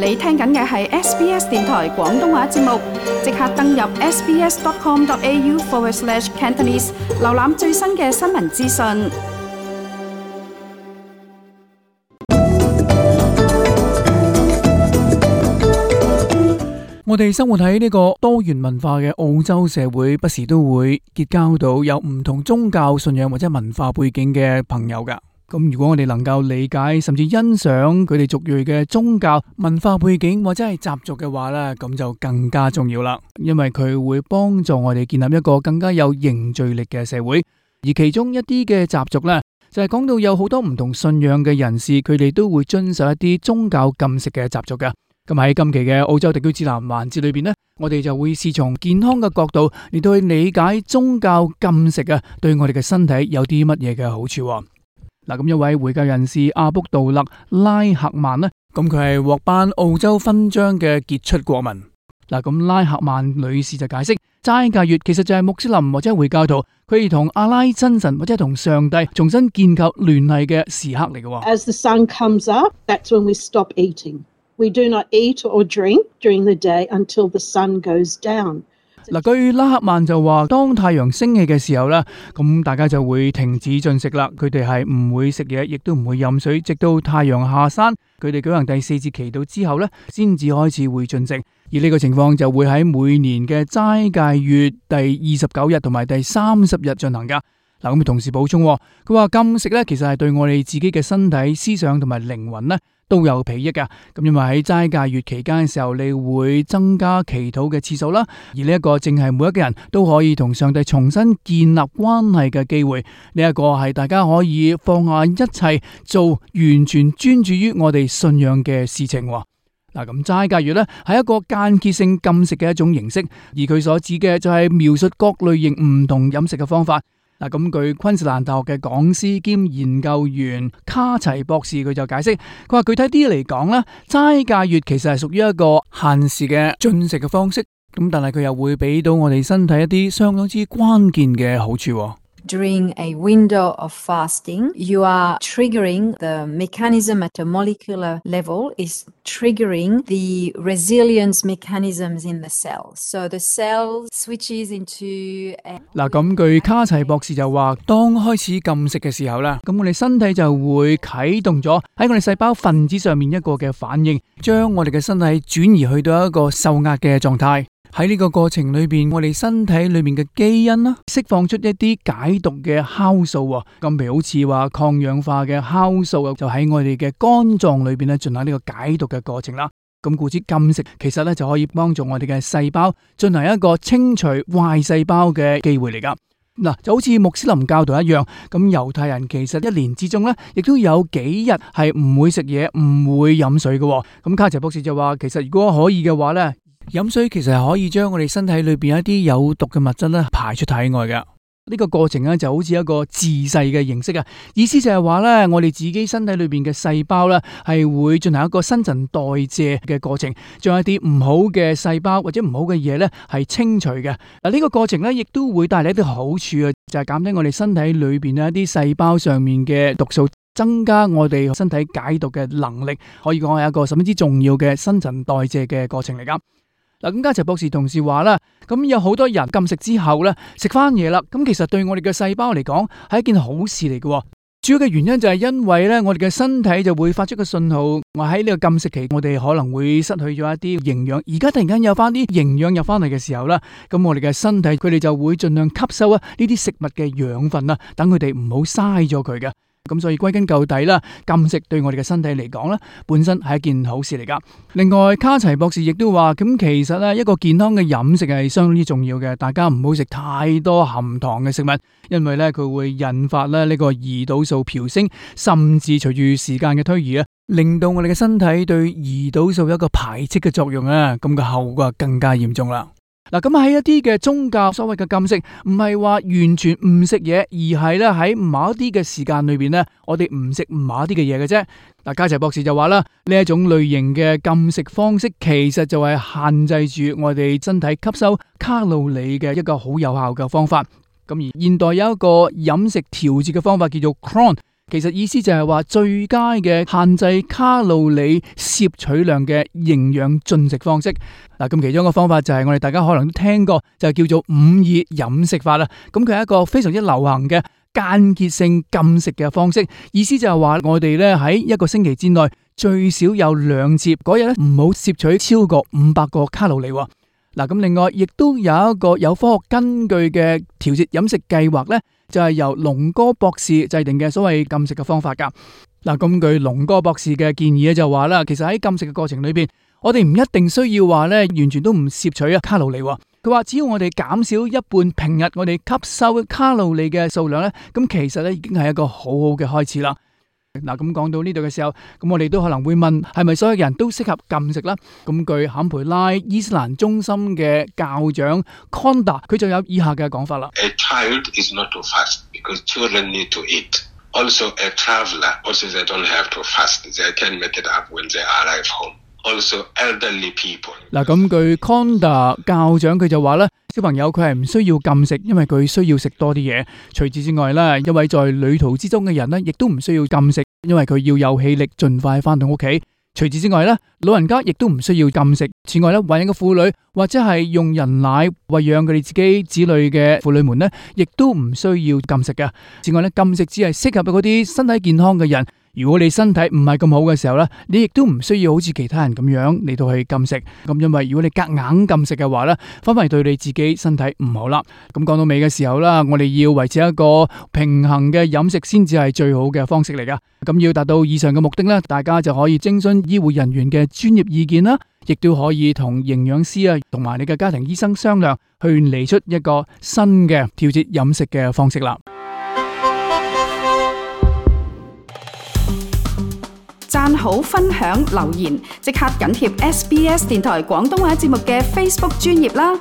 你聽緊嘅係 SBS 電台廣東話節目，即刻登入 sbs.com.au/Cantonese 瀏覽最新嘅新聞資訊。我哋生活喺呢個多元文化嘅澳洲社會，不時都會結交到有唔同宗教信仰或者文化背景嘅朋友噶。咁如果我哋能夠理解甚至欣賞佢哋族裔嘅宗教文化背景或者係習俗嘅話呢，咁就更加重要啦。因為佢會幫助我哋建立一個更加有凝聚力嘅社會。而其中一啲嘅習俗呢，就係講到有好多唔同信仰嘅人士，佢哋都會遵守一啲宗教禁食嘅習俗嘅。咁喺今期嘅澳洲地區指南環節裏邊呢，我哋就會試從健康嘅角度嚟到去理解宗教禁食啊，對我哋嘅身體有啲乜嘢嘅好處。嗱，咁一位回教人士阿卜杜勒拉赫曼呢，咁佢係獲頒澳洲勳章嘅傑出國民。嗱，咁拉赫曼女士就解釋，齋戒月其實就係穆斯林或者回教徒佢哋同阿拉真神或者同上帝重新建構聯繫嘅時刻嚟嘅。As the sun comes up, that's when we stop eating. We do not eat or drink during the day until the sun goes down. 嗱，據拉赫曼就話，當太陽升起嘅時候咧，咁大家就會停止進食啦。佢哋係唔會食嘢，亦都唔會飲水，直到太陽下山。佢哋舉行第4節祈禱之後咧，先至開始會進食。而呢個情況就會喺每年嘅齋戒月第29日同埋第30日進行噶。嗱，咁同時補充，佢話禁食咧，其實係對我哋自己嘅身體、思想同埋靈魂咧都有裨益噶。咁因為喺齋戒月期間嘅時候，你會增加祈禱嘅次數啦。而呢一個正係每一個人都可以同上帝重新建立關係嘅機會。呢一個係大家可以放下一切，做完全專注於我哋信仰嘅事情。嗱，咁齋戒月咧係一個間歇性禁食嘅一種形式，而佢所指嘅就係描述各類型唔同飲食嘅方法。嗱，咁據昆士蘭大學嘅講師兼研究員卡齊博士佢就解釋，佢話具體啲嚟講咧，齋戒月其實係屬於一個限時嘅進食嘅方式，咁但係佢又會俾到我哋身體一啲相當之關鍵嘅好處。During a window of fasting, you are triggering the mechanism at a molecular level is triggering the resilience mechanisms in the cells. So the cell switches into 嗱，咁據卡齊博士就話，當開始禁食嘅時候啦，咁我哋身體就會啟動咗喺我哋細胞分子上面一個嘅反應，將我哋嘅身體轉移去到一個受壓嘅狀態。喺呢個過程裏邊，我哋身體裏面嘅基因啦，釋放出一啲解毒嘅酵素啊，咁譬如好似話抗氧化嘅酵素啊，就喺我哋嘅肝臟裏邊咧進行呢個解毒嘅過程啦。咁故此禁食其實咧就可以幫助我哋嘅細胞進行一個清除壞細胞嘅機會嚟噶。嗱，就好似穆斯林教徒一樣，咁猶太人其實一年之中咧，亦都有幾日係唔會食嘢、唔會飲水嘅。咁卡齊博士就話，其實如果可以嘅話咧，飲水其實係可以將我哋身體裏邊一啲有毒嘅物質咧排出體外嘅。呢個過程咧就好似一個自噬嘅形式啊，意思就係話咧，我哋自己身體裏邊嘅細胞咧係會進行一個新陳代謝嘅過程，將一啲唔好嘅細胞或者唔好嘅嘢咧係清除嘅。嗱，呢個過程咧亦都會帶嚟一啲好處啊，就係減低我哋身體裏邊一啲細胞上面嘅毒素，增加我哋身體解毒嘅能力，可以講係一個十分之重要嘅新陳代謝嘅過程嚟噶。嗱，咁加齊博士同事話啦，咁有好多人禁食之後咧食翻嘢啦，咁其實對我哋嘅細胞嚟講係一件好事嚟嘅。主要嘅原因就係因為咧，我哋嘅身體就會發出個信號，我喺呢個禁食期，我哋可能會失去咗一啲營養，而家突然間有翻啲營養入翻嚟嘅時候啦，咁我哋嘅身體佢哋就會盡量吸收啊呢啲食物嘅養分啦，等佢哋唔好嘥咗佢嘅。咁所以歸根究底啦，禁食對我哋嘅身體嚟講咧，本身係一件好事嚟噶。另外，卡齊博士亦都話，咁其實咧一個健康嘅飲食係相當之重要嘅，大家唔好食太多含糖嘅食物，因為咧佢會引發咧呢個胰島素飆升，甚至隨住時間嘅推移啊，令到我哋嘅身體對胰島素有一個排斥嘅作用啊，咁嘅後果更加嚴重啦。嗱，咁喺一啲嘅宗教所謂嘅禁食，唔係話完全唔食嘢，而係咧喺某一啲嘅時間裏邊咧，我哋唔食某一啲嘅嘢嘅啫。嗱，加齊博士就話啦，呢一種類型嘅禁食方式，其實就係限制住我哋身體吸收卡路里嘅一個好有效嘅方法。咁而現代有一個飲食調節嘅方法叫做 Cron。其實意思就係話最佳嘅限制卡路里攝取量嘅營養進食方式。嗱，咁其中一個方法就係我哋大家可能都聽過，就係叫做5-2飲食法啦。咁佢係一個非常之流行嘅間歇性禁食嘅方式，意思就係話我哋咧喺一個星期之內最少有2節嗰日咧唔好攝取超過500個卡路里。嗱，咁另外亦都有一個有科學根據嘅調節飲食計劃咧，就係由龍哥博士制定嘅所謂禁食嘅方法噶。嗱，根據龍哥博士嘅建議咧，就話啦，其實喺禁食嘅過程裏邊，我哋唔一定需要話咧完全都唔攝取卡路里。佢話只要我哋減少一半平日我哋吸收卡路里嘅數量咧，咁其實咧已經係一個好好嘅開始啦。嗱，咁講到呢度嘅時候，咁我哋都可能會問，係咪所有人都適合禁食啦？咁據坎培拉伊斯蘭中心嘅教長 Conda， 佢就有以下嘅講法啦。A child is not to fast because children need to eat. Also, a traveler also they don't have to fast. They can make it up when they arrive home. Also, elderly people. 嗱，咁據 Conda 教長佢就話咧，小朋友佢係唔需要禁食，因為佢需要食多啲嘢。除此之外咧，一位在旅途之中嘅人咧，亦都唔需要禁食，因為佢要有氣力盡快翻到屋企。除此之外咧，老人家亦都唔需要禁食。此外咧，懷孕嘅婦女或者係用人奶餵養佢哋自己子女嘅婦女們咧，亦都唔需要禁食嘅。此外咧，禁食只係適合嗰啲身體健康嘅人。如果你身體唔係咁好嘅時候咧，你亦都唔需要好似其他人咁樣嚟到去禁食。咁因為如果你夾硬禁食嘅話咧，反而對你自己身體唔好啦。咁講到尾嘅時候啦，我哋要維持一個平衡嘅飲食先至係最好嘅方式嚟噶。咁要達到以上嘅目的咧，大家就可以徵詢醫護人員嘅專業意見啦，亦都可以同營養師啊同埋你嘅家庭醫生商量，去嚟出一個新嘅調節飲食嘅方式啦。讚好、分享、留言，即刻緊貼SBS 電台廣東話節目嘅 Facebook 專頁啦！